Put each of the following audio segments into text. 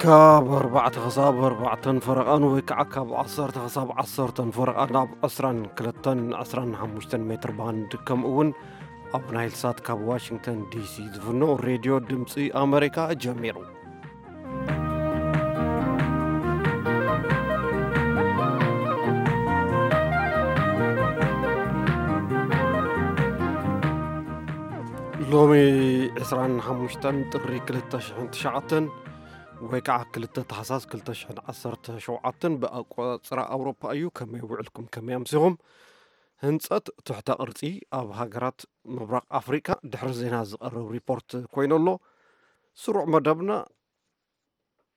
ካብ ኣርባዕተ ክሳብ ኣርባዕተን ፈረቓን ወይ ከዓ ካብ ዓሰርተ ክሳብ ዓሰርተን ፈረቓን ኣብ ዕስራን ክልተን ዕስራን ሓሙሽተን ሜትር ባንድ፣ ከምኡ እውን ኣብ ናይል ሳት ካብ ዋሽንግተን ዲሲ ዝፍኖ ሬድዮ ድምፂ ኣሜሪካ ጀሚሩ። ሎሚ ዕስራን ሓሙሽተን ጥሪ ክልተ ሽሕን ትሽዓተን ወይ ከዓ ክልተ ታሕሳስ ክልተ ሽሕን ዓሰርተ ሸውዓተን ብኣቆፃፅራ ኣውሮፓ እዩ። ከመይ ውዕልኩም? ከመይ ኣምሲኹም? ህንፀት ትሕተ ቅርፂ ኣብ ሃገራት ምብራቕ ኣፍሪካ ድሕሪ ዜና ዝቐርብ ሪፖርት ኮይኑ ኣሎ። ስሩዕ መደብና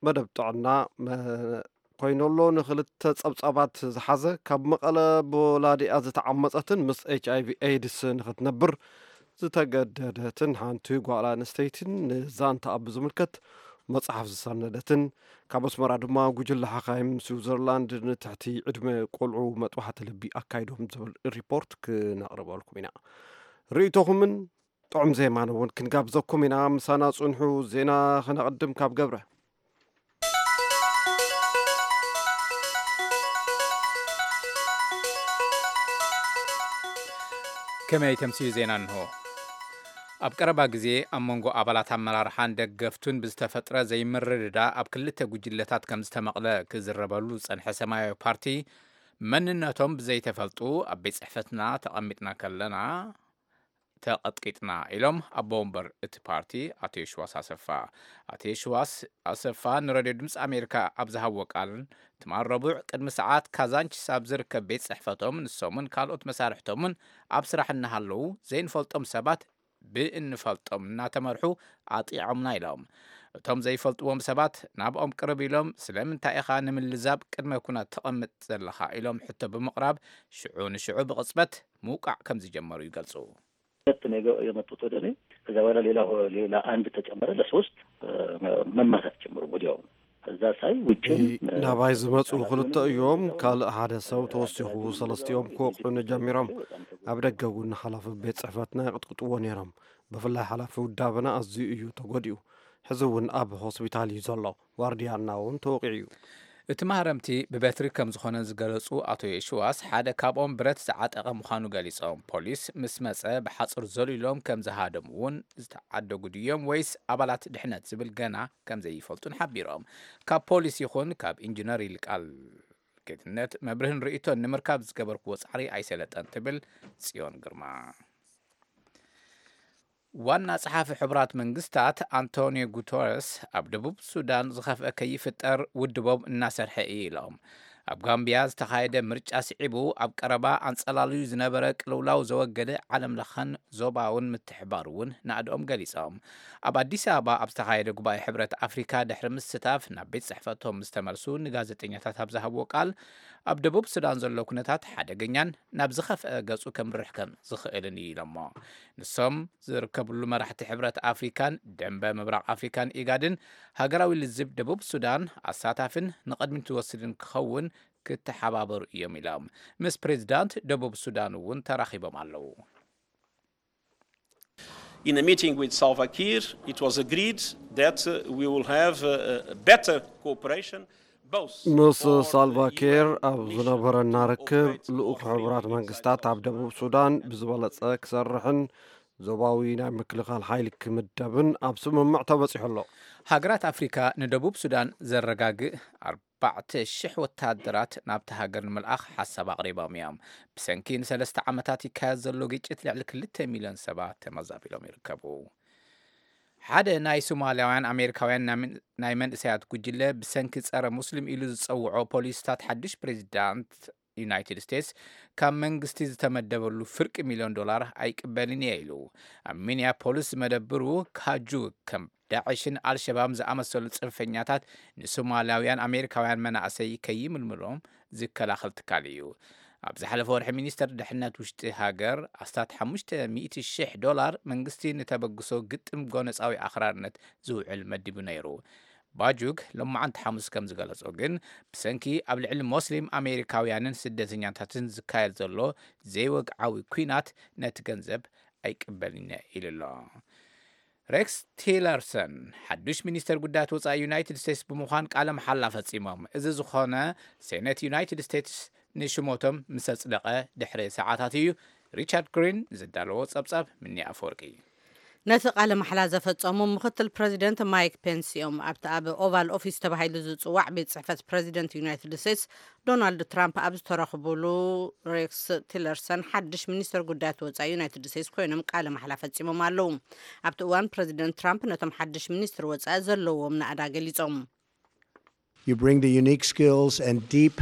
መደብ ጥዕና መ-፣ ኮይኑ ኣሎ። ንክልተ ጸብጻባት ዝሓዘ ካብ መቐለ ብወላዲኣ ዝተዓመጸትን ምስ ኤች ኣይ ቪ ኤድስ ንክትነብር ዝተገደደትን ሓንቲ ጓል ኣንስተይትን ንዛንታኣ ብዝምልከት መጽሓፍ ዝሰነደትን ካብ ኣስመራ ድማ ጉጅለ ሓኻይም ስዊዘርላንድ ንትሕቲ ዕድመ ቆልዑ መጥባሕቲ ልቢ ኣካይዶም ዝብል ሪፖርት ክነቕርበልኩም ኢና። ርእይቶኹምን ጥዑም ዜማን እውን ክንጋብዘኩም ኢና። ምሳና ጽንሑ። ዜና ክነቕድም ካብ ገብረ። ከመይ ተምስዩ ዜና እንሆ። ኣብ ቀረባ ግዜ ኣብ መንጎ ኣባላት ኣመራርሓን ደገፍቱን ብዝተፈጥረ ዘይምርድዳ ኣብ ክልተ ጉጅለታት ከም ዝተመቕለ ክዝረበሉ ዝጸንሐ ሰማያዊ ፓርቲ፣ መንነቶም ብዘይተፈልጡ ኣብ ቤት ጽሕፈትና ተቐሚጥና ከለና ተቐጥቂጥና ኢሎም ኣቦ ወንበር እቲ ፓርቲ ኣቶ የሽዋስ ኣሰፋ። ኣቶ የሽዋስ ኣሰፋ ንሬድዮ ድምፂ ኣሜሪካ ኣብ ዝሃብዎ ቃል፣ ትማል ረቡዕ ቅድሚ ሰዓት ካዛንቺስ ኣብ ዝርከብ ቤት ጽሕፈቶም ንሶምን ካልኦት መሳርሕቶምን ኣብ ስራሕ እናሃለዉ ዘይንፈልጦም ሰባት ብእንፈልጦም እናተመርሑ ኣጢዖምና ኢሎም። እቶም ዘይፈልጥዎም ሰባት ናብኦም ቅርብ ኢሎም፣ "ስለምንታይ ኢኻ ንምልዛብ ቅድመ ኩናት ተቐምጥ ዘለኻ?" ኢሎም ሕቶ ብምቕራብ ሽዑ ንሽዑ ብቕጽበት ምውቃዕ ከም ዝጀመሩ ይገልጹ። ሁለት ነው የገ-፣ የመጡት ወደ እኔ። ከዛ በኋላ ሌላ ሆ-፣ ሌላ አንድ ተጨመረ፣ ለሶስት፣ እ፣ መ-፣ መማታት ጀመሩ ወዲያው። ከዛ ሳይ ውጭም፣ እ፣ ናባይ ዝመጹ ክልተ እዮም። ካልእ ሓደ ሰብ ተወሲኹ፣ ሰለስቲኦም ክወቕዑኒ ጀሚሮም። ኣብ ደገ እውን ሓላፊ ቤት ጽሕፈትና ይቕጥቅጥዎ ነይሮም። ብፍላይ ሓላፊ ውዳበና ኣዝዩ እዩ ተጎዲኡ። ሕዚ እውን ኣብ ሆስፒታል እዩ ዘሎ። ዋርድያና እውን ተወቂዑ እዩ። እቲ ማህረምቲ ብበትሪ ከም ዝኾነ ዝገለጹ ኣቶ የሽዋስ፣ ሓደ ካብኦም ብረት ዝዓጠቐ ምዃኑ ገሊጾም። ፖሊስ ምስ መጸ ብሓጹር ዘሊሎም ከም ዝሃደሙ እውን ዝተዓደጉ ድዮም ወይስ ኣባላት ድሕነት ዝብል ገና ከም ዘይፈልጡን ሓቢሮም። ካብ ፖሊስ ይኹን ካብ ኢንጂነር ይልቃል ጌትነት መብርህን ርእይቶን ንምርካብ ዝገበርክዎ ጻዕሪ ኣይሰለጠን ትብል ጽዮን ግርማ። ዋና ጸሓፊ ሕቡራት መንግስታት ኣንቶኒዮ ጉተረስ ኣብ ደቡብ ሱዳን ዝኸፍአ ከይፍጠር ውድቦም እናሰርሐ እዩ ኢሎም። ኣብ ጋምቢያ ዝተኻየደ ምርጫ ስዒቡ ኣብ ቀረባ ኣንጸላልዩ ዝነበረ ቅልውላው ዘወገደ ዓለም ለኸን ዞባውን ምትሕባር እውን ናእድኦም ገሊጾም። ኣብ ኣዲስ ኣበባ ኣብ ዝተኻየደ ጉባኤ ሕብረት ኣፍሪካ ድሕሪ ምስታፍ ናብ ቤት ጽሕፈቶም ዝተመልሱ ንጋዜጠኛታት ኣብ ዝሃብዎ ቃል፣ ኣብ ደቡብ ሱዳን ዘሎ ኩነታት ሓደገኛን ናብ ዝኸፍአ ገጹ ከምርሕ ከም ዝኽእልን እዩ ኢሎሞ። ንሶም ዝርከብሉ መራሕቲ ሕብረት ኣፍሪካን ደንበ ምብራቕ ኣፍሪካን ኢጋድን ሃገራዊ ልዝብ ደቡብ ሱዳን ኣሳታፍን ንቕድሚት ዝወስድን ክኸውን ክተሓባበሩ እዮም ኢሎም። ምስ ፕሬዚዳንት ደቡብ ሱዳን እውን ተራኺቦም ኣለዉ። In a meeting with Salva Kiir, it was agreed that, uh, we will have, uh, a better cooperation, both ምስ on the ሳልቫ ኪር ኣብ ዝነበረና ርክብ፣ ልኡኽ ሕቡራት መንግስታት ኣብ ደቡብ ሱዳን ብዝበለጸ ክሰርሕን ዞባዊ ናይ ምክልኻል ሓይሊ ክምደብን ኣብ ስምምዕ ተበጺሑ ኣሎ። ሃገራት ኣፍሪካ ንደቡብ ሱዳን ዘረጋግእ ኣርባዕተ ሽሕ ወታደራት ናብቲ ሃገር ንምልኣኽ ሓሳብ ኣቕሪቦም እዮም። ብሰንኪ ንሰለስተ ዓመታት ይካየድ ዘሎ ግጭት ልዕሊ ክልተ ሚልዮን ሰባት ተመዛቢሎም ይርከቡ። ሓደ ናይ ሶማልያውያን ኣሜሪካውያን ናይ መን-፣ ናይ መንእሰያት ጉጅለ ብሰንኪ ጸረ ሙስሊም ኢሉ ዝጸውዖ ፖሊስታት ሓድሽ ፕሬዚዳንት ዩናይትድ ስቴትስ ካብ መንግስቲ ዝተመደበሉ ፍርቂ ሚልዮን ዶላር ኣይቅበልን እየ ኢሉ። ኣብ ሚኒያፖሊስ ዝመደብሩ ካጁ ከም ዳዕሽን ኣልሸባብ ዝኣመሰሉ ጽንፈኛታት ንሶማልያውያን ኣሜሪካውያን መናእሰይ ከይምልምሎም ዝከላኸል ትካል እዩ። ኣብ ዝሓለፈ ወርሒ ሚኒስተር ድሕነት ውሽጢ ሃገር ኣስታት ሓሙሽተ ሚእቲ ሽሕ ዶላር መንግስቲ ንተበግሶ ግጥም ጎነጻዊ ኣኽራርነት ዝውዕል መዲቡ ነይሩ። ባጁግ ሎማዓንቲ ሓሙስ ከም ዝገለጾ ግን፣ ብሰንኪ ኣብ ልዕሊ ሞስሊም ኣሜሪካውያንን ስደተኛታትን ዝካየድ ዘሎ ዘይወግዓዊ ኲናት ነቲ ገንዘብ ኣይቅበልን ኢሉ ኣሎ። ሬክስ ቲለርሰን ሓዱሽ ሚኒስተር ጉዳያት ወጻኢ ዩናይትድ ስቴትስ ብምዃን ቃለ መሓላ ፈጺሞም። እዚ ዝኾነ ሴኔት ዩናይትድ ስቴትስ ንሽሞቶም ምስ ኣጽደቐ ድሕሪ ሰዓታት እዩ። ሪቻርድ ግሪን ዘዳለዎ ጸብጻብ ምኒ ኣፈወርቂ። ነቲ ቃለ ማሕላ ዘፈጸሙ ምኽትል ፕረዚደንት ማይክ ፔንስ እዮም። ኣብቲ ኣብ ኦቫል ኦፊስ ተባሂሉ ዝጽዋዕ ቤት ጽሕፈት ፕረዚደንት ዩናይትድ ስቴትስ ዶናልድ ትራምፕ ኣብ ዝተረኽቡሉ፣ ሬክስ ቲለርሰን ሓድሽ ሚኒስተር ጉዳያት ወጻኢ ዩናይትድ ስቴትስ ኮይኖም ቃለ ማሕላ ፈጺሞም ኣለዉ። ኣብቲ እዋን ፕረዚደንት ትራምፕ ነቶም ሓድሽ ሚኒስትር ወጻኢ ዘለዎም ናእዳ ገሊጾም። You bring the unique skills and deep,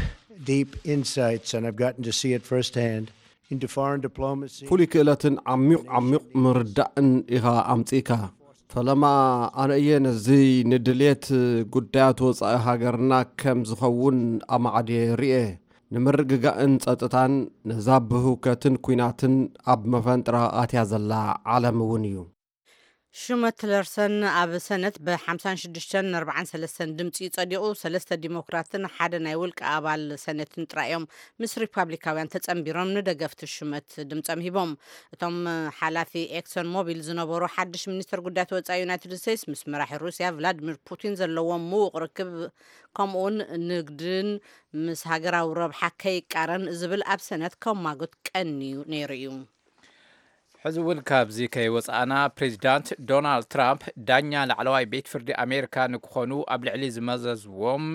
deep insights, and I've gotten to see it firsthand, into foreign diplomacy. ፍሉይ ክእለትን ዓሚቕ ዓሚቕ ምርዳእን ኢኻ ኣምጺእካ። ፈለማ ኣነ እየ ነዚ ንድልየት ጉዳያት ወጻኢ ሃገርና ከም ዝኸውን ኣማዕድየ ርእየ። ንምርግጋእን ጸጥታን ነዛ ብህውከትን ኲናትን ኣብ መፈንጥራ ኣትያ ዘላ ዓለም እውን እዩ። ሹመት ቲለርሰን ኣብ ሰነት ብ ሓምሳን ሽዱሽተን ኣርባዓን ሰለስተን ድምፂ ጸዲቑ፣ ሰለስተ ዲሞክራትን ሓደ ናይ ውልቂ ኣባል ሰነትን ጥራይ እዮም ምስ ሪፓብሊካውያን ተጸንቢሮም ንደገፍቲ ሹመት ድምፆም ሂቦም። እቶም ሓላፊ ኤክሶን ሞቢል ዝነበሩ ሓድሽ ሚኒስትር ጉዳያት ወፃኢ ዩናይትድ ስቴትስ ምስ መራሒ ሩስያ ቭላድሚር ፑቲን ዘለዎም ምዉቕ ርክብ፣ ከምኡውን ንግድን ምስ ሃገራዊ ረብሓ ከይቃረን ዝብል ኣብ ሰነት ከማጉት ቀንዩ ነይሩ እዩ። ሕዚ እውን ካብዚ ከይወፃእና፣ ፕሬዚዳንት ዶናልድ ትራምፕ ዳኛ ላዕለዋይ ቤት ፍርዲ ኣሜሪካ ንክኾኑ ኣብ ልዕሊ ዝመዘዝዎም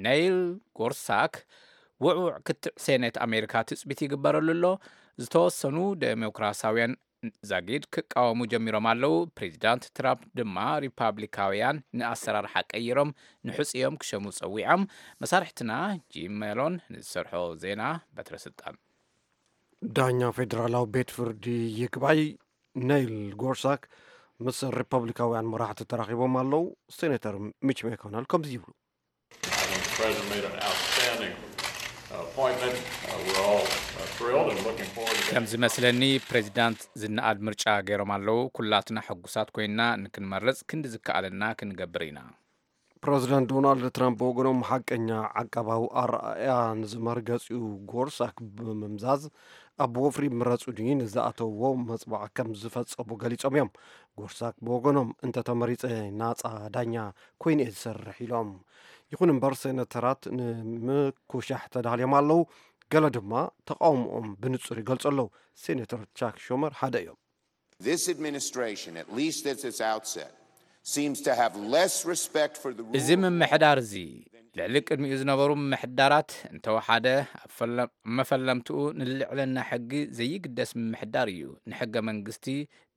ኔል ጎርሳክ ውዕውዕ ክትዕ ሴኔት ኣሜሪካ ትፅቢት ይግበረሉ ኣሎ። ዝተወሰኑ ዴሞክራሲያውያን ዛጊድ ክቃወሙ ጀሚሮም ኣለዉ። ፕሬዚዳንት ትራምፕ ድማ ሪፓብሊካውያን ንኣሰራርሓ ቀይሮም ንሕፅዮም ክሸሙ ፀዊዖም። መሳርሕትና ጂም ሜሎን ንዝሰርሖ ዜና በትረ ስልጣን። ዳኛ ፌዴራላዊ ቤት ፍርዲ ይግባይ ኔይል ጎርሳክ ምስ ሪፐብሊካውያን መራሕቲ ተራኺቦም ኣለዉ። ሴኔተር ሚች ሜኮነል ከምዚ ይብሉ። ከም ዝመስለኒ ፕሬዚዳንት ዝነኣድ ምርጫ ገይሮም ኣለዉ። ኩላትና ሕጉሳት ኮይንና ንክንመርፅ ክንዲ ዝከኣለና ክንገብር ኢና። ፕረዚደንት ዶናልድ ትራምፕ ብወገኖም ሓቀኛ ዓቃባዊ ኣረኣእያ ንዝመርገፂኡ ጎርሳክ ብምምዛዝ ኣብ ወፍሪ ምረፁኒ ንዝኣተውዎ መፅዋዕ ከም ዝፈፀሙ ገሊፆም እዮም። ጎርሳክ ብወገኖም እንተተመሪፀ ናፃ ዳኛ ኮይነ እየ ዝሰርሕ ኢሎም። ይኹን እምበር ሴነተራት ንምኩሻሕ ተዳልዮም ኣለዉ። ገለ ድማ ተቃውሞኦም ብንፁር ይገልፁ ኣለዉ። ሴነተር ቻክ ሹመር ሓደ እዮም። This administration, at least at its outset, seems to have less respect for the rule እዚ ምምሕዳር እዚ ልዕሊ ቅድሚኡ ዝነበሩ ምምሕዳራት እንተወሓደ ኣብ መፈለምትኡ ንልዕልና ሕጊ ዘይግደስ ምምሕዳር እዩ። ንሕገ መንግስቲ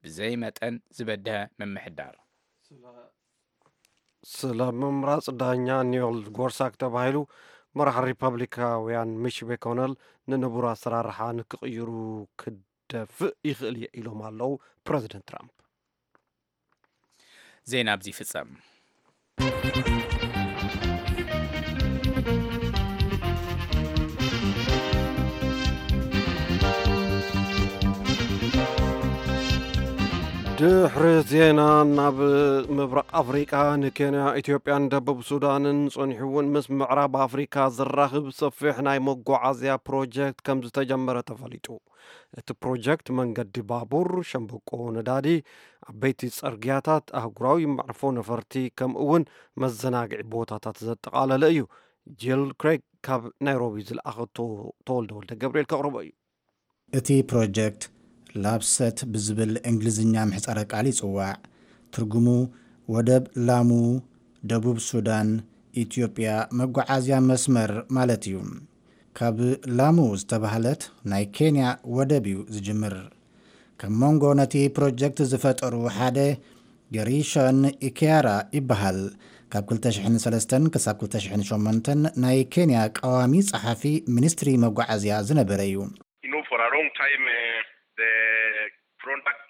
ብዘይ መጠን ዝበድሀ ምምሕዳር። ስለ ምምራፅ ዳኛ ኒዮል ጎርሳክ ተባሂሉ መራሕ ሪፐብሊካውያን ሚች ሜኮነል ንንቡር ኣሰራርሓ ንክቕይሩ ክደፍእ ይኽእል እየ ኢሎም ኣለዉ ፕረዚደንት ትራምፕ። ዜና ኣብዚ ይፍጸም። ድሕሪ ዜና ናብ ምብራቕ ኣፍሪቃ፣ ንኬንያ፣ ኢትዮጵያን ደቡብ ሱዳንን ጸኒሑ እውን ምስ ምዕራብ ኣፍሪካ ዘራኽብ ሰፊሕ ናይ መጓዓዝያ ፕሮጀክት ከም ዝተጀመረ ተፈሊጡ። እቲ ፕሮጀክት መንገዲ ባቡር፣ ሸምበቆ ነዳዲ፣ ዓበይቲ ጸርግያታት፣ ኣህጉራዊ መዕርፎ ነፈርቲ፣ ከምኡ እውን መዘናግዒ ቦታታት ዘጠቓለለ እዩ። ጂል ክሬግ ካብ ናይሮቢ ዝለኣኸቶ ተወልደ ወልደ ገብርኤል ከቕርቦ እዩ። እቲ ፕሮጀክት ላፕሰት ብዝብል እንግሊዝኛ ምሕጻረ ቃል ይጽዋዕ። ትርጉሙ ወደብ ላሙ፣ ደቡብ ሱዳን፣ ኢትዮጵያ መጓዓዝያ መስመር ማለት እዩ። ካብ ላሙ ዝተባህለት ናይ ኬንያ ወደብ እዩ ዝጅምር። ካብ መንጎ ነቲ ፕሮጀክት ዝፈጠሩ ሓደ ገሪሾን ኢኪያራ ይበሃል። ካብ ክልተ ሽሕን ሰለስተን ክሳብ ክልተ ሽሕን ሸሞንተን ናይ ኬንያ ቀዋሚ ጸሓፊ ሚኒስትሪ መጓዓዝያ ዝነበረ እዩ። You know, for a long time, uh, the products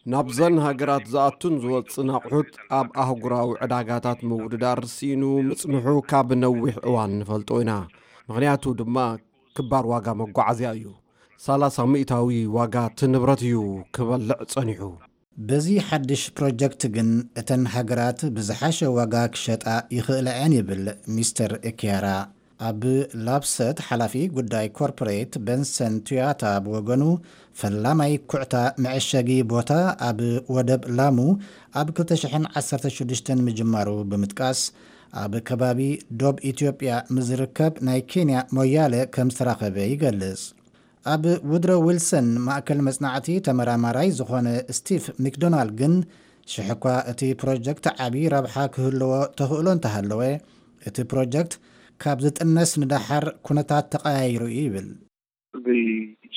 ናብዘን ሃገራት ዝኣቱን ዝወፅን ኣቑሑት ኣብ ኣህጉራዊ ዕዳጋታት ምውድዳር ስኢኑ ምፅንሑ ካብ ነዊሕ እዋን ንፈልጦ ኢና። ምኽንያቱ ድማ ክባር ዋጋ መጓዓዝያ እዩ። ሰላሳ ሚእታዊ ዋጋ እቲ ንብረት እዩ ክበልዕ ጸኒሑ። በዚ ሓድሽ ፕሮጀክት ግን እተን ሃገራት ብዝሓሸ ዋጋ ክሸጣ ይኽእላ እየን ይብል ሚስተር ኤኪያራ። ኣብ ላፕሰት ሓላፊ ጉዳይ ኮርፖሬት በንሰን ቱያታ ብወገኑ፣ ፈላማይ ኩዕታ መዐሸጊ ቦታ ኣብ ወደብ ላሙ ኣብ ክልተ ሽሕን ዓሰርተ ሽዱሽተን ምጅማሩ ብምጥቃስ፣ ኣብ ከባቢ ዶብ ኢትዮጵያ ምስ ዝርከብ ናይ ኬንያ ሞያለ ከም ዝተራኸበ ይገልጽ። ኣብ ውድሮ ዊልሰን ማእከል መጽናዕቲ ተመራማራይ ዝኾነ ስቲቭ ሚክዶናልድ ግን፣ ሽሕኳ እቲ ፕሮጀክት ዓቢ ረብሓ ክህልዎ ተኽእሎ እንተሃለወ፣ እቲ ፕሮጀክት ካብ ዝጥነስ ንደሓር ኩነታት ተቐያይሩ እዩ ይብል። The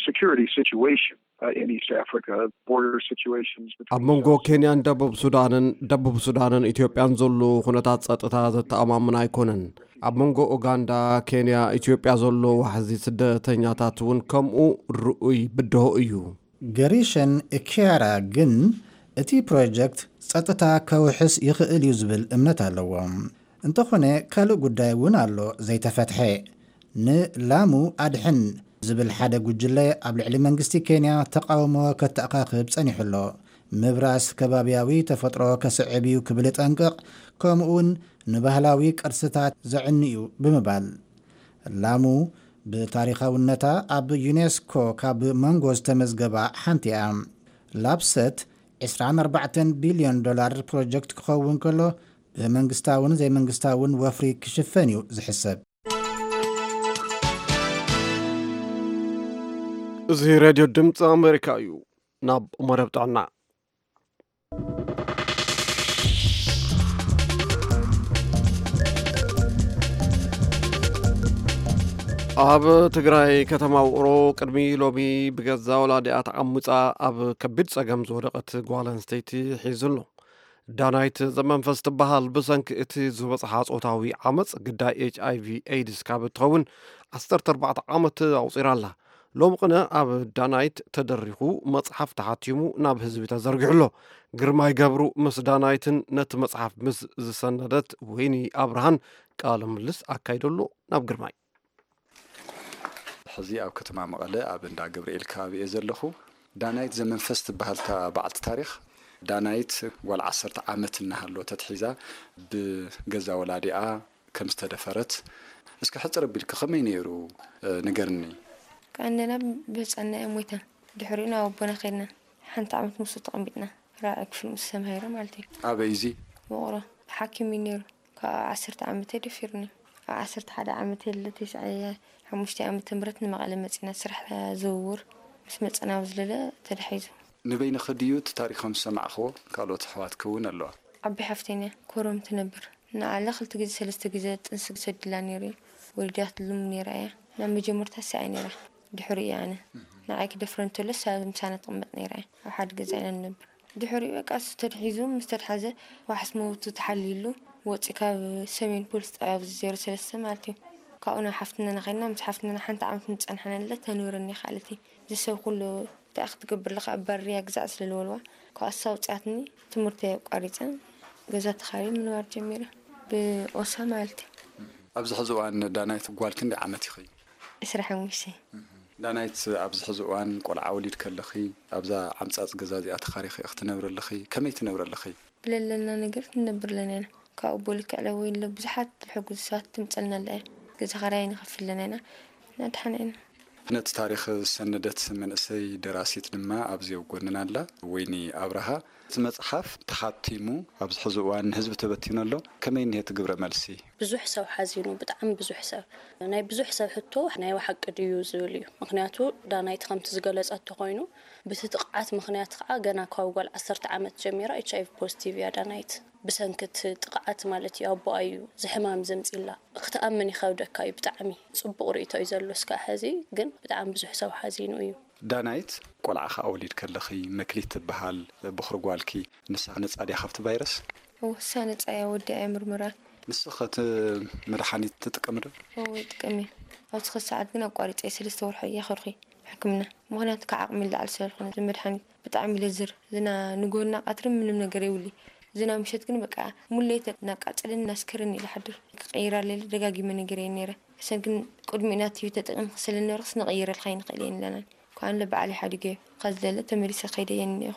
security situation uh, in East Africa, border situations between ኣብ መንጎ South ኬንያን ደቡብ ሱዳንን፣ ደቡብ ሱዳንን ኢትዮጵያን ዘሎ ኩነታት ጸጥታ ዘተኣማምን ኣይኮነን። ኣብ መንጎ ኡጋንዳ፣ ኬንያ፣ ኢትዮጵያ ዘሎ ዋሕዚ ስደተኛታት እውን ከምኡ ርኡይ ብድሆ እዩ። ገሪሸን ኪያራ ግን፣ እቲ ፕሮጀክት ጸጥታ ከውሕስ ይኽእል እዩ ዝብል እምነት ኣለዎ። እንተኾነ፣ ካልእ ጉዳይ እውን ኣሎ ዘይተፈትሐ። ንላሙ ኣድሕን ዝብል ሓደ ጉጅለ ኣብ ልዕሊ መንግስቲ ኬንያ ተቓውሞ ከተኣኻኽብ ጸኒሑ ኣሎ። ምብራስ ከባብያዊ ተፈጥሮ ከስዕብ እዩ ክብል ይጠንቅቕ፣ ከምኡውን ንባህላዊ ቅርስታት ዘዕኒ እዩ ብምባል። ላሙ ብታሪኻውነታ ኣብ ዩኔስኮ ካብ መንጎ ዝተመዝገባ ሓንቲ እያ። ላፕሰት ዕስራን ኣርባዕተን ቢልዮን ዶላር ፕሮጀክት ክኸውን ከሎ፣ ብመንግስታውን ዘይመንግስታውን ወፍሪ ክሽፈን እዩ ዝሕሰብ። እዚ ሬድዮ ድምፂ ኣሜሪካ እዩ። ናብ መደብ ጥዕና። ኣብ ትግራይ ከተማ ውቕሮ ቅድሚ ሎሚ ብገዛ ወላዲኣ ተዓሙፃ ኣብ ከቢድ ፀገም ዝወደቐት ጓል ኣንስተይቲ ሒዙ ኣሎ። ዳናይት ዘመንፈስ ትበሃል ብሰንኪ እቲ ዝበፅሓ ፆታዊ ዓመፅ ግዳይ ኤች ኣይ ቪ ኤድስ ካብ እትኸውን ዓሰርተ ኣርባዕተ ዓመት ኣቑፂራ ኣላ። ሎሚ ቅነ ኣብ ዳናይት ተደሪኹ መፅሓፍ ተሓቲሙ ናብ ህዝቢ ተዘርጊሑ ኣሎ። ግርማይ ገብሩ ምስ ዳናይትን ነቲ መፅሓፍ ምስ ዝሰነደት ወይኒ ኣብርሃን ቃለ ምልልስ ኣካይደሉ። ናብ ግርማይ። ሕዚ ኣብ ከተማ መቐለ ኣብ እንዳ ገብርኤል ከባቢ እየ ዘለኹ። ዳናይት ዘመንፈስ ትበሃል እታ በዓልቲ ታሪኽ። ዳናይት ጓል ዓሰርተ ዓመት እናሃለወት ተትሒዛ ብገዛ ወላዲኣ ከም ዝተደፈረት እስኪ ሕፅር ኣቢልኪ ከመይ ነይሩ ንገርኒ። ቀንደና ብህፃንና እዮም ሞይታ። ድሕሪኡ ናብ ኣቦና ከድና ሓንቲ ዓመት ምስኡ ተቐሚጥና ራብዓይ ክፍል ምስ ተምሃረ ማለት እዩ። ኣበይ እዚ? ውቕሮ ሓኪም እዩ ነይሩ። ካብ ዓሰርተ ዓመተ ደፊሩኒ። ኣብ ዓሰርተ ሓደ ዓመተ ልደተይ ሰዓየ ሓሙሽተ ዓመተ ምህረት ንመቐለ መፂና ስራሕ ዝውውር ምስ መፀና ኣብ ዝለለ ተዳሒዙ። ንበይንኺ ድዩ እቲ ታሪኾም ዝሰማዕኽዎ? ካልኦት ኣሕዋትኪ እውን ኣለዋ። ዓቢ ሓፍተይ እያ ኮረም ትነብር። ንዓለ ክልተ ግዜ ሰለስተ ግዜ ጥንሲ ሰዲላ ነይሩ እዩ። ወሊዳትሉ ነይራ እያ። ናብ መጀመርታ እሳ እያ ነይራ። ድሕሪኡ እየ ኣነ። ንዓይ ክደፍረ እንተሎ እሳ ምሳና ትቕመጥ ነይራ እያ። ኣብ ሓደ ገዛ ኢና ንነብር። ድሕሪኡ በቃ እሱ ተድሒዙ ምስ ተድሓዘ ዋሕስ መውቱ ተሓሊሉ ወፂ ካብ ሰሜን ፖሊስ ጣብያ ኣብዚ ዜሮ ሰለስተ ማለት እዩ። ካብኡ ናብ ሓፍትናና ከይድና ምስ ሓፍትናና ሓንቲ ዓመት ምፀንሓና ለ ተንብረኒ ይኽኣለት እዩ። እዚ ሰብ ኩሉ እንታይ ክትገብር ኣለኻ ኣባርያ ግዛዕ ስለ ዝበልዋ ካብ ኣሳ ውፅኣትኒ ትምህርቲ ኣቋሪፀ ገዛ ተኻሪ ምንባር ጀሚረ ብኦሳ ማለት እዩ። ኣብዚ ሕዚ እዋን ዳናይት ጓል ክንደይ ዓመት ኢኺ? ዕስራ ሓሙሽተ። ዳናይት ኣብዚ ሕዚ እዋን ቆልዓ ወሊድ ከለኺ ኣብዛ ዓምፃፅ ገዛ እዚኣ ተኻሪኺ ኢኺ ትነብሪ ኣለኺ? ከመይ ትነብሪ ኣለኺ? ብለለና ነገር ንነብር ኣለና ኢና። ካብኡ ብልክዕ ለወይ ኣሎ ብዙሓት ዝሕግዙ ሰባት ትምፀልና ኣላ እያ። ገዛ ኻራይ ንኸፍል ኣለና ኢና። ናድሓና ኢና። ነቲ ታሪኽ ዝሰነደት መንእሰይ ደራሲት ድማ ኣብዚ ኣብ ጎንና ኣላ፣ ወይኒ ኣብርሃ። እቲ መፅሓፍ ተሓቲሙ ኣብዚ ሕዚ እዋን ንህዝቢ ተበቲኑ ኣሎ። ከመይ እኒሀ እቲ ግብረ መልሲ? ብዙሕ ሰብ ሓዚኑ፣ ብጣዕሚ ብዙሕ ሰብ። ናይ ብዙሕ ሰብ ሕቶ ናይ ብሓቂ ድዩ ዝብል እዩ። ምኽንያቱ ዳናይት ከምቲ ዝገለፀቶ ኮይኑ ብቲ ጥቕዓት ምኽንያት ከዓ ገና ካብ ጓል ዓሰርተ ዓመት ጀሚራ ኤች ኣይ ቪ ፖዚቲቭ እያ ዳናይት። ብሰንኪ እቲ ጥቕዓት ማለት እዩ ኣቦኣ እዩ እዚ ሕማም ዘምፂላ። ክትኣምን ይኸብደካ እዩ ብጣዕሚ። ፅቡቕ ርእይቶ እዩ ዘሎ እስካዕ ሕዚ ግን ብጣዕሚ ብዙሕ ሰብ ሓዚኑ እዩ። ዳናይት ቆልዓ ከዓ ወሊድ ከለኺ መክሊት ትበሃል ቦኽሪ ጓልኪ ንሳ ነፃ ድያ ካብቲ ቫይረስ? እወ ንሳ ነፃ እያ ወዲኣ እያ ምርመራ። ንስኺ እቲ መድሓኒት ትጥቀሚ ዶ? እወ ይጥቀም እየ። ኣብዚ ኸዚ ሰዓት ግን ኣቋሪፀ እየ ሰለስተ ወርሒ እየ ከድኹ ሕክምና ምኽንያቱ ካብ ዓቕሚ ንላዕሊ ስለ ዝኾነ እዚ መድሓኒት ብጣዕሚ እዩ ለዝር ዝና ንጎና ቀትሪ ምንም ነገር የብሉ ዝና ምሸት ግን በቃ ሙሌት እናቃፀለኒ እናስከረኒ ኢለ ሓድር ክቀይራ ለለ ደጋጊመ ነገር እየ ነይረ እሰን ግን ቅድሚኡ ኢና ቲቪ ተጠቂምኪ ስለ ነበርክስ ንቀይረልካ ኣይንኽእል እየ ንለናን ከኣንለ በዓል ይሓድገ እየ ካብ ዝለለ ተመሊሰ ከይደ እየ እኒኤኹ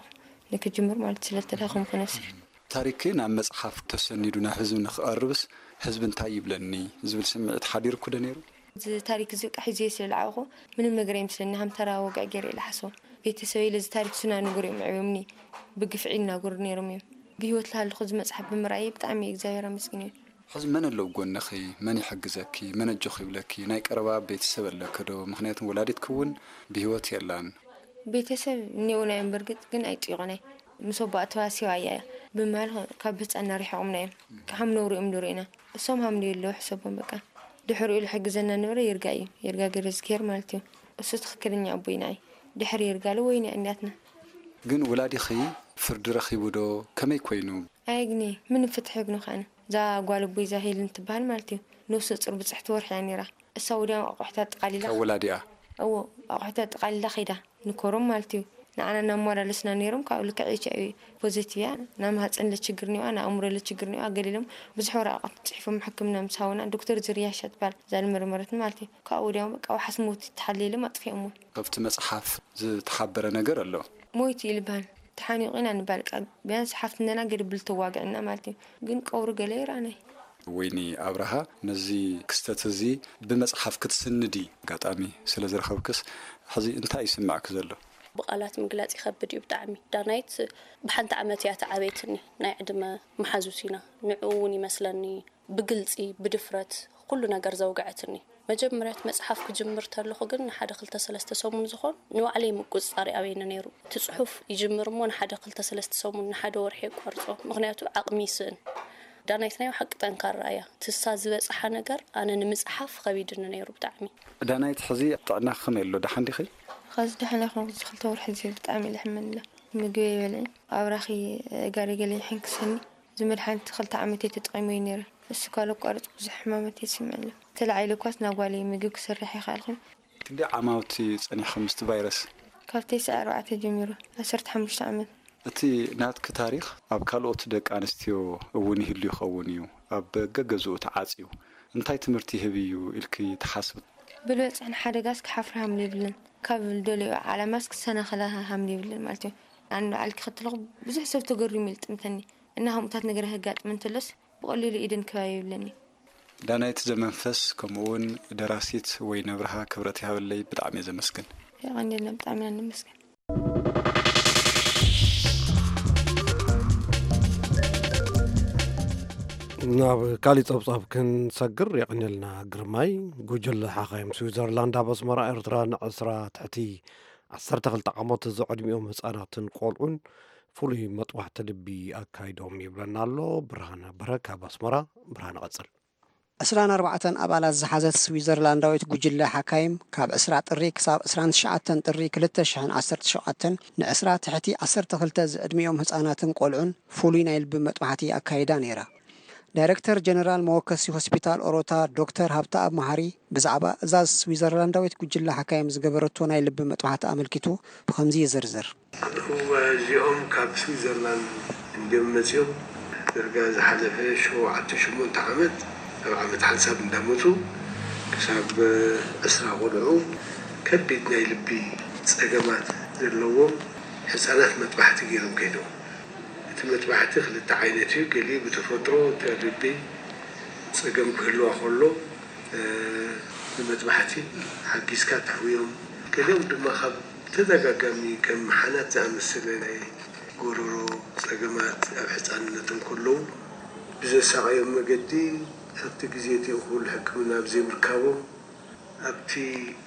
ንክጅምር ማለት ስለ ተዳኸምኩ ነብሰይ ታሪክ ናብ መጽሓፍ ተሰኒዱ ናብ ህዝቢ ንክቐርብስ ህዝቢ እንታይ ይብለኒ ዝብል ስምዒት ሓዲርኩ ዶ ነይሩ? እዚ ታሪክ እዚ በቃ ሒዘዮ ስለ ዝዓበኹ ምንም ነገር ኣይመስለኒ፣ ከም ተራ ወግዒ ገይረ እየ ዝሓስቦ። ቤተሰበይ ለዚ ታሪክ ዝናገሩ እዮም ኣዕብዮምኒ፣ ብግፍዒ ይናገሩ ነይሮም እዮም። ብህይወት ልሃለኹ እዚ መጽሓፍ ብምርኣየ ብጣዕሚ እየ እግዚኣብሔር ኣመስግን እየ። ሕዚ መን ኣሎ ኣብ ጎንኺ? መን ይሕግዘኪ? መን ኣጆኺ ይብለኪ? ናይ ቀረባ ቤተሰብ ኣለኪ ዶ? ምኽንያቱ ወላዲትኪ እውን ብህይወት የላን። ቤተሰብ እኒኦና እዮም፣ በርግጥ ግን ኣይጥይቑናይ። ምስ ኣቦኣ ተዋሲባ እያ ብምባል ካብ ህፃና ሪሒቖምና እዮም። ከም ነውሪ እዮም ዝርእዩና። እሶም ሃምሉ የለዉ ሕሰቦም በቃ። ድሕሪኡ ዝሕግዘና ነበረ ይርጋ እዩ፣ ይርጋ ገረዝግሄር ማለት እዩ። እሱ ትኽክለኛ ኣቦይ ንዓይ። ድሕሪ ይርጋለ ወይኒ እኒኣትና። ግን ወላዲኺ ፍርዲ ረኺቡ ዶ? ከመይ ኮይኑ? ኣየግንየ፣ ምንም ፍትሒ የግኖ ከኣነ። እዛ ጓል ኣቦይ እዛ ሄልን ትበሃል ማለት እዩ። ነፍሰ ጡር ብፅሕቲ ወርሒ እያ ነይራ። እሳ ወዲያው ኣቑሑታ ኣጠቓሊላ ካብ ወላዲኣ? እዎ፣ ኣቑሑታ ኣጠቓሊላ ከይዳ። ንኮሮም ማለት እዩ። ንዓና እናመላለስና ነይሮም፣ ካብኡ ልክዕ ኤች ኣይ ቪ ፖዘቲቭ እያ፣ ናይ ማህፀን ለችግር እኒዋ፣ ናይ ኣእምሮ ለችግር እኒዋ፣ ገሊሎም ብዙሕ ወረቓቕቲ ፅሒፎም ሕክምና ምስ ሃቡና፣ ዶክተር ዝርያ እሻ ትበሃል እዛ ዝመርመረትኒ ማለት እዩ። ካብኡ ወዲያው በቃ ዋሕስ ሞት ተሓልየሎም ኣጥፊኦሞ። ካብቲ መፅሓፍ ዝተሓበረ ነገር ኣሎ? ሞይቱ እዩ ልበሃል። ተሓኒቑ ኢና ንባል ቃል ቢያንስ ሓፍትነና ገድብል ተዋግዕና ማለት እዩ። ግን ቀብሩ ገለ ይረኣናይ። ወይኒ ኣብርሃ ነዚ ክስተት እዚ ብመጽሓፍ ክትስንዲ ኣጋጣሚ ስለ ዝረኸብክስ ሕዚ እንታይ ይስምዕኪ ዘሎ? ብቓላት ምግላጽ ይኸብድ እዩ ብጣዕሚ። ዳናይት ብሓንቲ ዓመት እያ ተዓበየትኒ። ናይ ዕድመ መሓዙት ኢና። ንዕኡ እውን ይመስለኒ ብግልጺ ብድፍረት ኩሉ ነገር ዘውግዐትኒ። መጀመርያ እቲ መጽሓፍ ክጅምር ተለኹ ግን ንሓደ ክልተ ሰለስተ ሰሙን ዝኾን ንባዕለይ ምቁጽጻር ይኣብየኒ ነይሩ። እቲ ጽሑፍ ይጅምር እሞ ንሓደ ክልተ ሰለስተ ሰሙን ንሓደ ወርሒ የቋርጾ፣ ምኽንያቱ ዓቕሚ ይስእን። ዳናይት ናይ ብሓቂ ጠንካራ እያ። ትሳ ዝበጽሓ ነገር ኣነ ንምጽሓፍ ኸቢድኒ ነይሩ ብጣዕሚ። ዳናይት ሕዚ ጥዕናኺ ከመይ ኣሎ? ደሓን ዲኺ? ኸዚ ደሓን ኣይኮንኩ፣ እዚ ክልተ ወርሒ እዚ ብጣዕሚ እየ ዝሕመን እለ። ምግቢ ኣይበልዕን፣ ኣብራኺ ጋሪ ገለ ይሕንክሰኒ። እዚ መድሓኒት ክልተ ዓመት እየ ተጠቒመዮ ነይረ። እሱ ካብ ለቋርጽ ብዙሕ ሕማማት እየ ዝስምዕ ኣሎ። ተላዒለ እኳስ ናብ ጓለይ ምግቢ ክሰርሕ ኣይከኣልኩን። ክንደይ ዓማውቲ ጸኒሕኺ ምስቲ ቫይረስ? ካብ ተስዓ ኣርባዕተ ጀሚሩ ዓሰርተ ሓሙሽተ ዓመት። እቲ ናትኪ ታሪኽ ኣብ ካልኦት ደቂ ኣንስትዮ እውን ይህሉ ይኸውን እዩ፣ ኣብ ገገዝኡ ተዓጽዩ። እንታይ ትምህርቲ ይህብ እዩ ኢልኪ ትሓስቢ? ብልበጽሕ ንሓደጋስ ክሓፍር ሃምሊ የብለን፣ ካብ ዝደለዮ ዓላማስ ክሰናኸላ ሃምሊ የብለን ማለት እዩ። ኣነ ንባዕልኪ ከለኹ ብዙሕ ሰብ ተገሪሙ እዩ ዝጥምተኒ። እና ከምኡታት ነገር ከጋጥም እንተሎስ ብቐሊሉ ኢደን ከባቢ የብለኒ። ዳናይት ዘመንፈስ ከምኡውን ደራሲት ወይኒ ኣብርሃ ክብረት ይሃበለይ፣ ብጣዕሚ እየ ዘመስግን። የቐንየልና፣ ብጣዕሚ ኢና ነመስግን። ናብ ካሊእ ጸብጻብ ክንሰግር የቐንየልና ግርማይ። ጉጅለ ሓኻይም ስዊዘርላንድ ኣብ ኣስመራ ኤርትራ ንዕስራ ትሕቲ ዓሰርተ ክልተ ዓመት ዘዕድሚኦም ህጻናትን ቆልዑን ፍሉይ መጥባሕቲ ልቢ ኣካይዶም ይብለና ኣሎ ብርሃነ በረ ካብ ኣስመራ። ብርሃነ ቀጽል። ዕስራን ኣርባዕተን ኣባላት ዝሓዘት ስዊዘርላንዳዊት ጉጅለ ሓካይም ካብ ዕስራ ጥሪ ክሳብ ዕስራን ትሽዓተን ጥሪ ክልተ ሽሕን ዓሰርተ ሸውዓተን ንዕስራ ትሕቲ ዓሰርተ ክልተ ዝዕድሚኦም ህጻናትን ቆልዑን ፍሉይ ናይ ልቢ መጥባሕቲ ኣካይዳ ነይራ። ዳይረክተር ጀነራል መወከሲ ሆስፒታል ኦሮታ ዶክተር ሃብተኣብ መሃሪ ብዛዕባ እዛ ስዊዘርላንዳዊት ጉጅለ ሓካይም ዝገበረቶ ናይ ልቢ መጥባሕቲ ኣመልኪቱ ብኸምዚ ይዝርዝር። እወ፣ እዚኦም ካብ ስዊዘርላንድ እንድዮም መጺኦም። ዳርጋ ዝሓለፈ ሸውዓተ ሸሞንተ ዓመት ኣብ ዓመት ሓንሳብ እንዳመጹ ክሳብ ዕስራ ቆልዑ ከቢድ ናይ ልቢ ጸገማት ዘለዎም ህጻናት መጥባሕቲ ገይሮም ከይዶም። እቲ መጥባሕቲ ክልተ ዓይነት እዩ። ገሊኡ ብተፈጥሮ እቲ ልቢ ጸገም ክህልዋ ከሎ ንመጥባሕቲ ሓጊዝካ ተሕውዮም። ገሊኦም ድማ ካብ ተደጋጋሚ ከም ሓናት ዝኣመሰለ ናይ ጎረሮ ጸገማት ኣብ ሕጻንነት እንከለዉ ብዘሳቐዮም መገዲ ኣብቲ ግዜ እቲ እኹል ሕክምና ብዘይምርካቦም ኣብቲ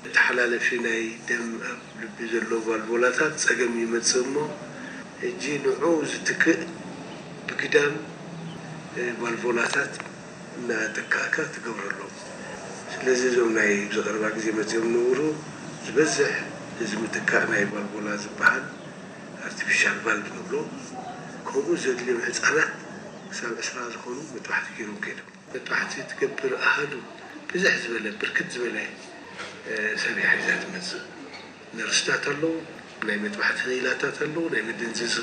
መተሓላለፊ ናይ ደም ኣብ ልቢ ዘሎ ቫልቮላታት ጸገም ይመጽእ እሞ ሕጂ ንዕኡ ዝትክእ ብግዳም ቫልቮላታት እናተካእካ ትገብረሎም። ስለዚ እዞም ናይ ኣብዚ ቀረባ ግዜ መጺኦም ዝነበሩ ዝበዝሕ እዚ ምትካእ ናይ ቫልቮላ ዝበሃል ኣርቲፊሻል ቫልቭ ንብሎ ከምኡ ዘድልዮም ህጻናት ክሳብ ዕስራ ዝኾኑ መጥባሕቲ ገይሮም ከይዶም። መጥባሕቲ ትገብር ኣሃዱ ብዝሕ ዝበለ ብርክት ዝበለ ሰብ እያ ሒዛ ትመፅእ። ነርስታት ኣለዉ፣ ናይ መጥባሕቲ ክኢላታት ኣለዉ፣ ናይ መደንዘዚ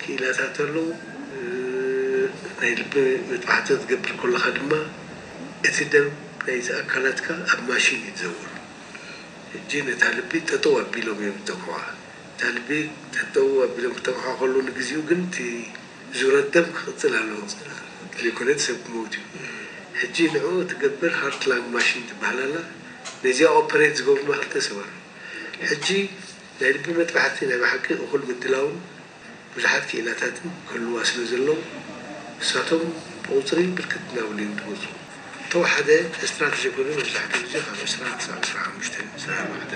ክኢላታት ኣለዉ። ናይ ልቢ መጥባሕቲ ክትገብር ከለኻ ድማ እቲ ደም ናይቲ ኣካላትካ ኣብ ማሽን እዩ ዝዘውር። ሕጂ ነታ ልቢ ጠጠው ኣቢሎም እዮም ዝጠምሑዋ። እታ ልቢ ጠጠው ኣቢሎም ክጠምሑዋ ከለዉ ንግዚኡ ግን እቲ ዙረት ደም ክቕጽል ኣለዎ። ዘይኮነት ሰብ ክመውት እዩ። ሕጂ ንዕኡ ትገብር ሃርትላንግ ማሽን ትበሃል ኣላ። ነዚኣ ኦፐሬት ዝገብሩና ክልተ ሰብ ኣሎ። ሕጂ ናይ ልቢ መጥባሕቲ ናይ ብሓቂ እኹል ምድላውን ብዙሓት ክኢላታትን ክህልዋ ስለ ዘለዉ፣ ንሳቶም ብቑጽሪ ብርክት እናበሉ እዮም ዝመጹ። እተወሓደ ስትራተጂ ኮይኑ መብዛሕትኡ ግዜ ካብ ዕስራ ክሳብ ዕስራ ሓሙሽተ፣ ዕስራ ኣርባዕተ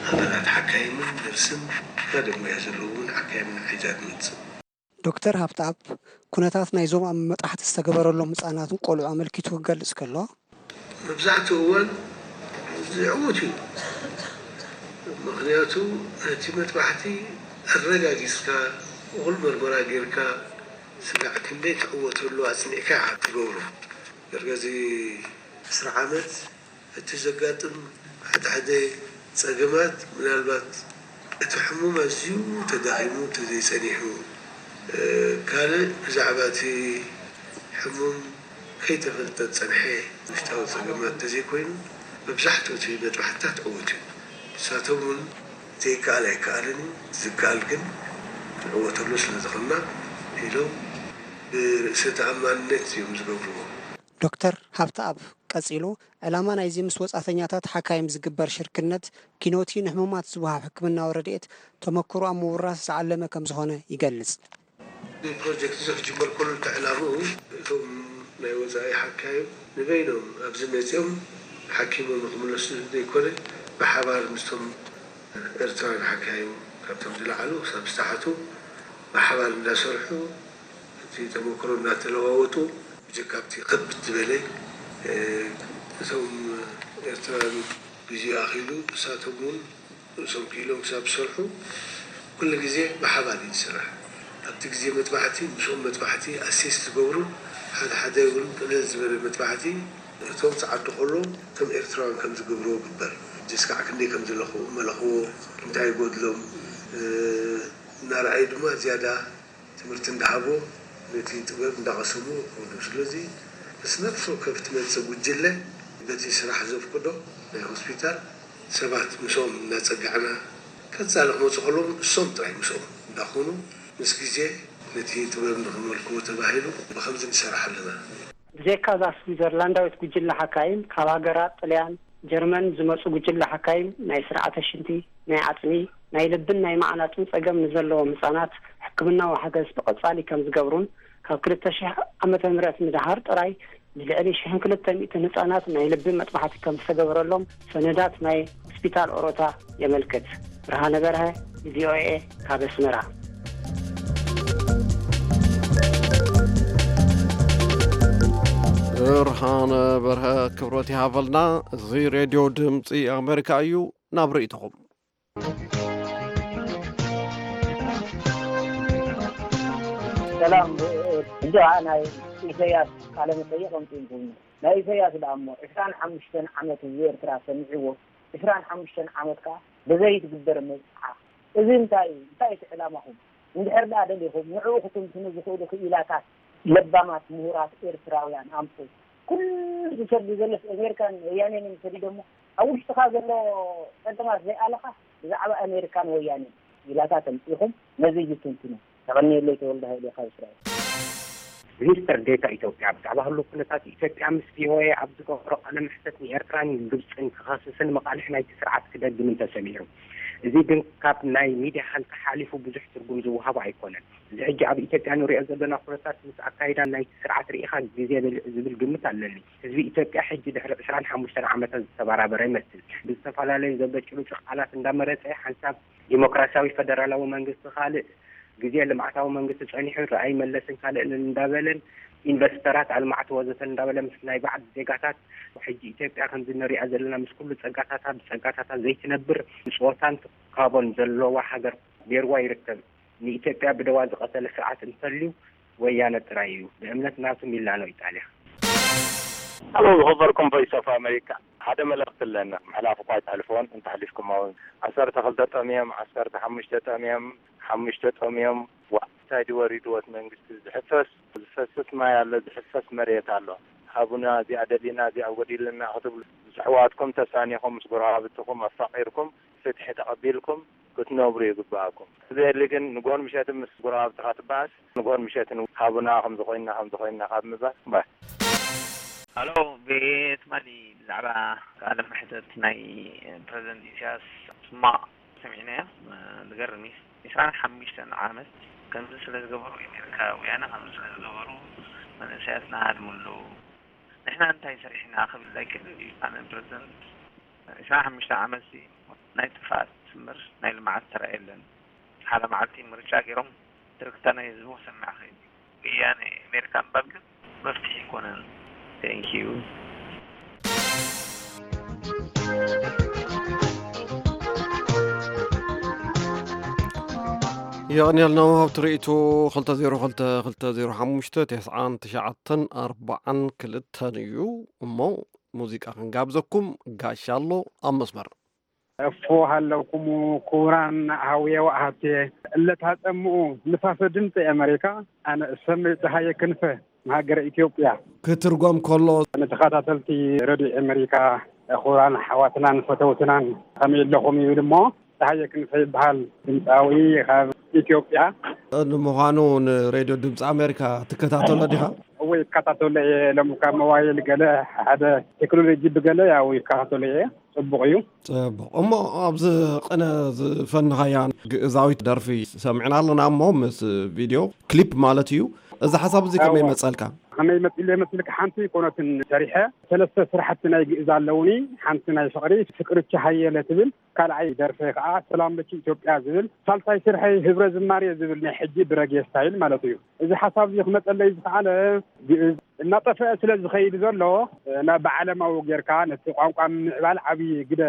ኣባላት ሓካይምን ነርስን፣ ሓደ ሞያ ዘለዎም ሓካይምን ሒዛ ትመጽእ። ዶክተር ሃብተኣብ፣ ኩነታት ናይዞም ኣብ መጥባሕቲ ዝተገበረሎም ህጻናትን ቆልዑ ኣመልኪቱ ክገልጽ ከሎ፣ መብዛሕትኡ እዋን ዝዕውት እዩ። ምኽንያቱ ነቲ መጥባሕቲ ኣረጋጊጽካ፣ እኹል መርመራ ጌርካ፣ ስጋዕ ክንደይ ትዕወተሉ ኣጽኒዕካ ኢኻ ትገብሮ። ዳርጋ እዚ ዕስራ ዓመት እቲ ዘጋጥም ሓደ ሓደ ጸገማት፣ ምናልባት እቲ ሕሙም ኣዝዩ ተዳኺሙ እንተዘይጸኒሑ፣ ካልእ ብዛዕባ እቲ ሕሙም ከይተፈልጠ ዝጸንሐ ውሽጣዊ ጸገማት እንተዘይኮይኑ፣ መብዛሕትኡ እቲ መጥባሕትታት ዕዉት እዩ። ንሳቶም እውን ዘይከኣል ኣይከኣልን እዩ፣ ዝከኣል ግን ክንዕወተሉ ስለ ዝኾንና ኢሎም ብርእሰ ተኣማንነት እዮም ዝገብርዎ። ዶክተር ሃብተኣብ ቀጺሉ፣ ዕላማ ናይዚ ምስ ወጻእተኛታት ሓካይም ዝግበር ሽርክነት ኪኖቲ ንሕሙማት ዝወሃብ ሕክምናዊ ረድኤት ተመክሮ ኣብ ምውራስ ዝዓለመ ከም ዝኾነ ይገልጽ። እዚ ፕሮጀክት እዚ ክጅመር ከሎ እቲ ዕላምኡ እቶም ናይ ወጻኢ ሓካይም ንበይኖም ኣብዚ መጺኦም ሓኪሞም ንክምለሱ ዘይኮነ ብሓባር ምስቶም ኤርትራውያን ሓካይም ካብቶም ዝለዓሉ ክሳብ ዝተሓቱ ብሓባር እንዳሰርሑ እቲ ተመክሮ እናተለዋወጡ ብጀካ ኣብቲ ከብድ ዝበለ እቶም ኤርትራውያን ግዜኡ ኣኺሉ ንሳቶም እውን ርእሶም ክኢሎም ክሳብ ዝሰርሑ ኩሉ ግዜ ብሓባር እዩ ዝስራሕ። ኣብቲ ግዜ መጥባሕቲ ምስኦም መጥባሕቲ ኣሴስ ዝገብሩ ሓደ ሓደ እውን ቅልል ዝበለ መጥባሕቲ እቶም ጸዓዱ ከሎ ከም ኤርትራውያን ከም ዝገብርዎ ግበር። ጀስካዕ ክንደይ ከም ዝለኽዎ መለኽዎ እንታይ ይጎድሎም እናረኣዩ ድማ ዝያዳ ትምህርቲ እንዳሃቦ ነቲ ጥበብ እንዳቐሰሙ ይኸዱ። ስለዚ ምስ ነፍሲ ወከፍ ትመጽእ ጉጅለ በቲ ስራሕ ዘፍቅዶ ናይ ሆስፒታል ሰባት ምስኦም እናጸጋዕና ቀጻሊ ክመጹ ከለዉ እሶም ጥራይ ምስኦም እንዳኾኑ ምስ ግዜ ነቲ ጥበብ ንኽመልክዎ ተባሂሉ ብኸምዚ ንሰርሕ ኣለና። ብዘይካ እዛ ስዊዘርላንዳዊት ጉጅለ ሓካይም፣ ካብ ሃገራት ጥልያን፣ ጀርመን ዝመጹ ጉጅለ ሓካይም ናይ ስርዓተ ሽንቲ፣ ናይ ዓጽሚ፣ ናይ ልብን ናይ መዓናጥን ጸገም ንዘለዎም ህጻናት ሕክምናዊ ሓገዝ ብቐጻሊ ከም ዝገብሩን ካብ ክልተ ሽሕ ዓመተ ምህረት ንደሓር ጥራይ ንልዕሊ ሽሕን ክልተ ሚእትን ህጻናት ናይ ልቢ መጥባሕቲ ከም ዝተገበረሎም ሰነዳት ናይ ሆስፒታል ኦሮታ የመልክት። ብርሃነ በርሀ፣ ቪኦኤ፣ ካብ ኣስመራ። ብርሃነ በርሀ ክብረት ይሃበልና። እዚ ሬድዮ ድምፂ ኣሜሪካ እዩ። ናብ ርእይቶኹም። ሰላም። እንዶ ናይ ኢሰያስ ቃለ መጠይቕ ኣምፅእኩም። ናይ ኢሰያስ ደኣ እሞ ዕስራን ሓሙሽተን ዓመት ህዝቢ ኤርትራ ሰሚዕዎ፣ ዕስራን ሓሙሽተን ዓመት ከኣ ብዘይ ትግበር መብጽዓ። እዚ እንታይ እዩ? እንታይ እቲ ዕላማኹም? እንድሕር ደኣ ደሊኹም ንዕኡ ክትንትኑ ዝኽእሉ ክኢላታት ለባማት ምሁራት ኤርትራውያን ኣምጽኡ። ኩሉ ዝሰዱ ዘለስ ኣሜሪካን ወያኔን እዮም ሰዲዶሞ። ኣብ ውሽጥኻ ዘሎ ጸገማት ዘይኣለኻ ብዛዕባ ኣሜሪካን ወያኔን ክኢላታት ኣምጺእኹም ነዚ እዩ ትንትኑ። የቐንየለይ ተወልደ ሃይለ ካብ እስራኤል። ሚኒስትር ዴታ ኢትዮጵያ ብዛዕባ ህሉው ኩነታት ኢትዮጵያ ምስ ቪኦኤ ኣብ ዝገበሮ ቃለ መሕተት ንኤርትራን ግብጽን ክኸስስን መቓልሕ ናይቲ ስርዓት ክደግምን ተሰሚዑ። እዚ ግን ካብ ናይ ሚድያ ሃልኪ ሓሊፉ ብዙሕ ትርጉም ዝወሃቦ ኣይኮነን። እዚ ሕጂ ኣብ ኢትዮጵያ ንሪኦ ዘለና ኩነታት ምስ ኣካይዳ ናይቲ ስርዓት ርኢኻ ግዜ በሊዑ ዝብል ግምት ኣለኒ። ህዝቢ ኢትዮጵያ ሕጂ ድሕሪ ዕስራን ሓሙሽተን ዓመታት ዝተበራበረ ይመስል። ብዝተፈላለዩ ዘበጭብጩ ቃላት እንዳመረጸ ሓንሳብ ዲሞክራሲያዊ ፈደራላዊ መንግስቲ ካልእ ግዜ ልምዓታዊ መንግስቲ ጸኒሑ ረኣይ መለስን ካልእን እንዳበለን ኢንቨስተራት ኣልማዕቲ ወዘተ እንዳበለ ምስ ናይ ባዕዲ ዜጋታት ሕጂ ኢትዮጵያ ከምዚ ንሪኣ ዘለና ምስ ኩሉ ጸጋታታ ብጸጋታታ ዘይትነብር ብጾታን ትካቦን ዘለዋ ሃገር ገይርዋ ይርከብ። ንኢትዮጵያ ብደዋ ዝቐተለ ስርዓት እንተልዩ ወያነ ጥራይ እዩ። ብእምነት ናቱ ሚላኖ ኢጣልያ። ሃሎ ዝኸበርኩም ቮይስ ኦፍ ኣሜሪካ ሓደ መልእኽቲ ኣለና ምሕላፍ እኳ ኣይተሕልፍዎን እንተሕሊፍኩሞ እውን ዓሰርተ ክልተ ጠምዮም ዓሰርተ ሓሙሽተ ጠምዮም ሓሙሽተ ጠምዮም ዋእ እንታይ ድዩ ወሪድዎ እቲ መንግስቲ ዝሕፈስ ዝፈስስ ማይ ኣሎ ዝሕፈስ መሬት ኣሎ ሃቡና እዚኣ ደሊና እዚኣ ጎዲሉና ክትብሉ ምስ ኣሕዋትኩም ተሳኒኹም ምስ ጎረባብትኹም ኣፋቒርኩም ፍትሒ ተቐቢልኩም ክትነብሩ ይግባኣኩም። ዘየሊ ግን ንጎን ምሸት ምስ ጎረባብትኻ ትበኣስ፣ ንጎን ምሸት ሃቡና ከምዚ ኮይና ከምዚ ኮይና ካብ ምባል እምበር። ሃሎ፣ ብትማሊ ብዛዕባ ቃለ መሕተት ናይ ፕረዚደንት ኢሳያስ ሕማቕ ሰሚዕናዮ። ዝገርም እዩ። ዕስራን ሓሙሽተን ዓመት ከምዚ ስለ ዝገበሩ፣ ኤሜሪካውያን ከምዚ ስለ ዝገበሩ፣ መንእሰያትና ሃድሙ ኣለዉ። ንሕና እንታይ ሰሪሕና ክብል ኣይክእልን እዩ። ኣነ ፕረዚደንት ዕስራን ሓሙሽተ ዓመት ናይ ጥፍኣት እምበር ናይ ልምዓት ተራእየለን። ሓደ መዓልቲ ምርጫ ገይሮም ትርክታ ናይ ህዝቡ ክሰምዕ ክእል እዩ። ወያነ ኣሜሪካ ምባል ግን መፍትሒ ኣይኮነን። Thank you። የቐንየልና ውሃብ ትርኢቱ። ክልተ ዜሮ ክልተ ክልተ ዜሮ ሓሙሽተ ተስዓን ትሽዓተን ኣርባዓን ክልተን እዩ። እሞ ሙዚቃ ክንጋብዘኩም። ጋሻ ኣሎ ኣብ መስመር። እፎ ሃለውኩሙ ክቡራን ኣህውየ ወኣሃብትየ። እለታ ጸምኡ ንፋሰ ድምፂ ኣመሪካ፣ ኣነ እሰመይ ፀሃየ ክንፈ ንሃገረ ኢትዮጵያ። ክትርጎም ከሎ ንተኸታተልቲ ረድዮ ኣመሪካ፣ ክቡራን ኣሕዋትናን ፈተውትናን ከመይ ኣለኹም ይብል እሞ፣ ፀሃየ ክንፈ ይበሃል፣ ድምፃዊ ካብ ኢትዮጵያ። ንምዃኑ ንሬድዮ ድምፂ ኣሜሪካ ትከታተሎ ዲኻ? እወ፣ ይከታተሎ እየ። ሎም ካብ መዋይል ገለ ሓደ ቴክኖሎጂ ብገለ ያው ይከታተሎ እየ። ፅቡቕ እዩ። ፅቡቕ። እሞ ኣብዚ ቅነ ዝፈንኻያ ግእዛዊት ደርፊ ሰሚዕና ኣለና እሞ ምስ ቪድዮ ክሊፕ ማለት እዩ። እዚ ሓሳብ እዚ ከመይ እወ። መፀልካ? ከመይ መፂሉ የመስልካ? ሓንቲ ኮነትን ሰሪሐ ሰለስተ ስራሕቲ ናይ ግእዝ ኣለውኒ። ሓንቲ ናይ ፍቕሪ፣ ፍቅርቺ ሃየለ ትብል፣ ካልኣይ ደርፈይ ከዓ ሰላም ለኪ ኢትዮጵያ ዝብል፣ ሳልሳይ ስርሐይ ህብረ ዝማሬ ዝብል ናይ ሕጂ ብረጌ ስታይል ማለት እዩ። እዚ ሓሳብ እዚ ክመፀለይ ዝኸኣለ ግእዝ እናጠፍአ ስለ ዝኸይድ ዘሎ፣ ናብ ብዓለማዊ ጌርካ ነቲ ቋንቋ ምምዕባል ዓብዪ ግደ፣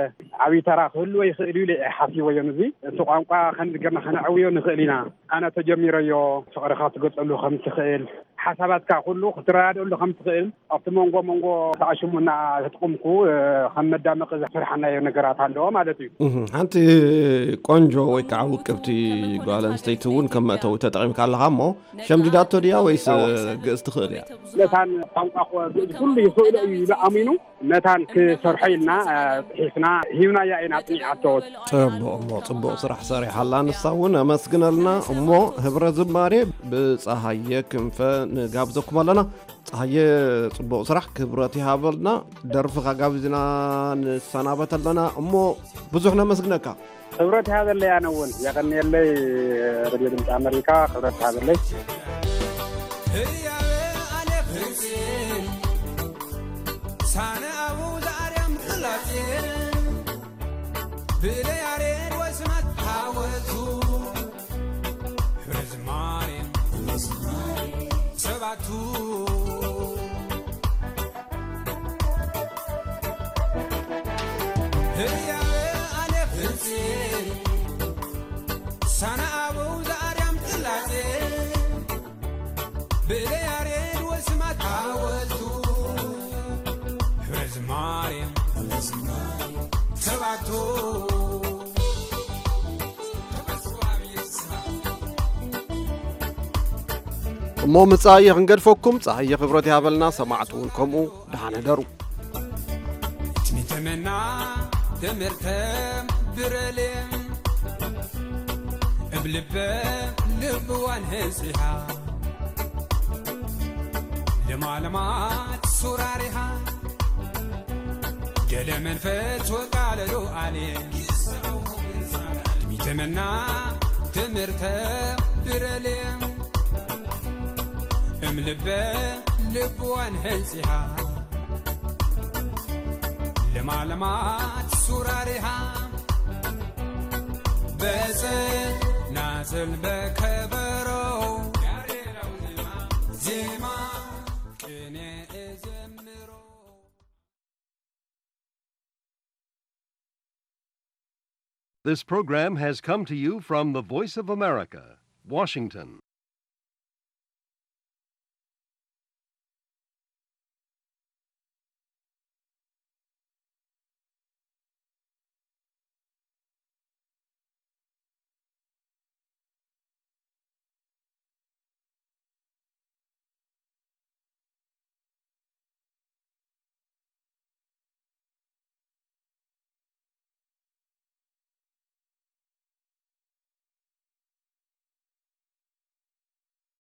ዓብዪ ተራ ክህልዎ ይኽእል እዩ ኢለ እየ ሓሲበዮ። እዚ እቲ ቋንቋ ከምዚ ጌርና ከነዕብዮ ንኽእል ኢና። ኣነ ተጀሚረዮ፣ ፍቕርኻ ትገልፀሉ ከም ትኽእል፣ ሓሳባትካ ኩሉ ክትረዳድእሉ ከም ትኽእል፣ ኣብቲ መንጎ መንጎ ተኣሽሙና ተጥቕምኩ ከም መዳመቂ ዘስርሓናዮ ነገራት ኣለዎ ማለት እዩ። እህ፣ ሓንቲ ቆንጆ ወይ ከዓ ውቅብቲ ጓል ኣንስተይቲ እውን ከም መእተዊ ተጠቒምካ ኣለኻ እሞ፣ ሸምዲዳቶ ድያ ወይስ ግእዝ ትኽእል እያ? መታን ቋንቋ ግእዝ ኩሉ ይኽእሎ እዩ ኢሉ ኣሚኑ መታን ክሰርሖ ኢልና፣ እ፣ ጽሒፍና ሂብናያ ኢና ኣጽኒዓቶ። ጽቡቕ እሞ፣ ጽቡቕ ስራሕ ሰሪሓ ኣላ ንሳ እውን፣ ኣመስግነልና። እሞ ህብረ ዝማሬ ብጸሃየ ክንፈ ንጋብዘኩም ኣለና። ጸሃየ፣ ጽቡቕ ስራሕ፣ ክብረት ይሃበልና። ደርፍኻ ጋቢዝና ንሰናበት ኣለና። እሞ ብዙሕ ነመስግነካ። ክብረት ይሃበለይ። ኣነ እውን የቐንየለይ። ሬድዮ ድምፂ ኣመሪካ ክብረት ይሃበለይ። ህያበ ኣሌፍ ህፅን ሳነ ኣቡ ዘኣርያም ቅላፅን ብለ ያሬድ ወስናት ሃወቱ ህዝማሬ ሰባቱ ህያበ ኣሌፍ ህፅን ሳነ ኣበው ዘኣርያም ቅላጼ ብእለ ያሬድ ወስማት ሓወልቱ ህዝማሬ ሰባቱ እሞ ምጻኢ ክንገድፈኩም፣ ጸሃየ ክብረት ይሃበልና፣ ሰማዕቲ እውን ከምኡ። ደሓን ሕደሩ። ትሚተመና ተመርተ ብረሌ እብ ልበ ልብዋን ህንጺሃ ለማለማት ሱራሪሃ ገለ መንፈስ ወቃለሉ ኣሌ ትሚተመና ተመርተ ብረሌ እም ልበ ልብዋን ህንጺሃ ለማለማት ሱራሪሃ በጽናጽል በከበሮ ዜማ ቅኔ እዘምሮ። This program has come to you from the Voice of America, Washington.